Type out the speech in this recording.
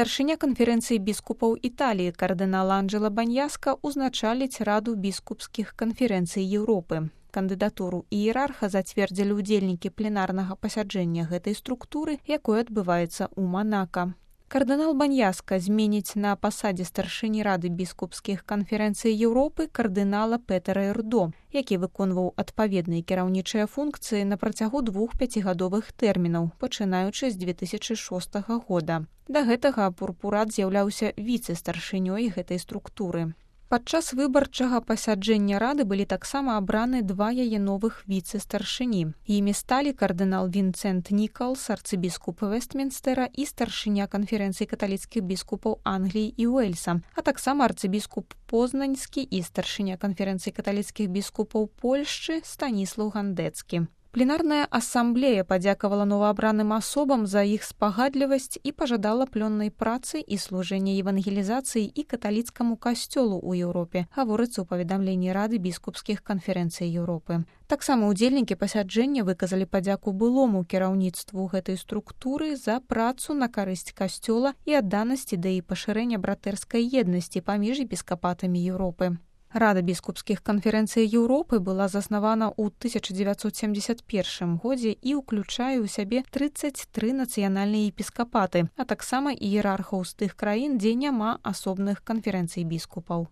Старшыня канферэнцыі біскупаў Італіі кардынал Анджела Баньяска узначаліць раду біскупскіх канферэнцый Еўропы. Кандыдатуру іерарха зацвердзілі ўдзельнікі пленарнага пасяджэння гэтай структуры, якое адбываецца ў Манака. Кардынал Баньяска зменіць на пасадзе старшыні рады біскупскіх канферэнцый Еўропы кардынала Петера Эрдо, які выконваў адпаведныя кіраўнічыя функцыі на працягу 2 пяцігадовых тэрмінаў, пачынаючы з 2006 года. Да гэтага Пурпурат з'яўляўся віцэ-старшынёй гэтай структуры. Падчас выбарчага пасяджэння рады былі таксама абраны 2 яе новых віцэ-старшыні. Імі сталі кардынал Вінцэнт Нікалс, арцыбіскуп Вестмінстера і старшыня канферэнцыі каталіцкіх біскупаў Англіі і Уэльса, а таксама арцыбіскуп Познаньскі і старшыня канферэнцыі каталіцкіх біскупаў Польшчы Станіслаў Гандэцкі. Пленарная асамблея падзякавала новаабраным асобам за іх спагадлівасць і пажадала плённай працы і служэння евангелізацыі і каталіцкаму касцёлу ў Еўропе, гаворыцца ў паведамленні рады біскупскіх канферэнцый Еўропы. Таксама ўдзельнікі пасяджэння выказалі падзяку былому кіраўніцтву гэтай структуры за працу на карысць касцёла і адданасць ідэі пашырэння братэрскай еднасці паміж епіскапатамі Еўропы. Рада біскупскіх канферэнцый Еўропы была заснавана ў 1971 годзе і ўключае ў сябе 33 нацыянальныя епіскапаты, а таксама іерархаў з тых краін, дзе няма асобных канферэнцый біскупаў.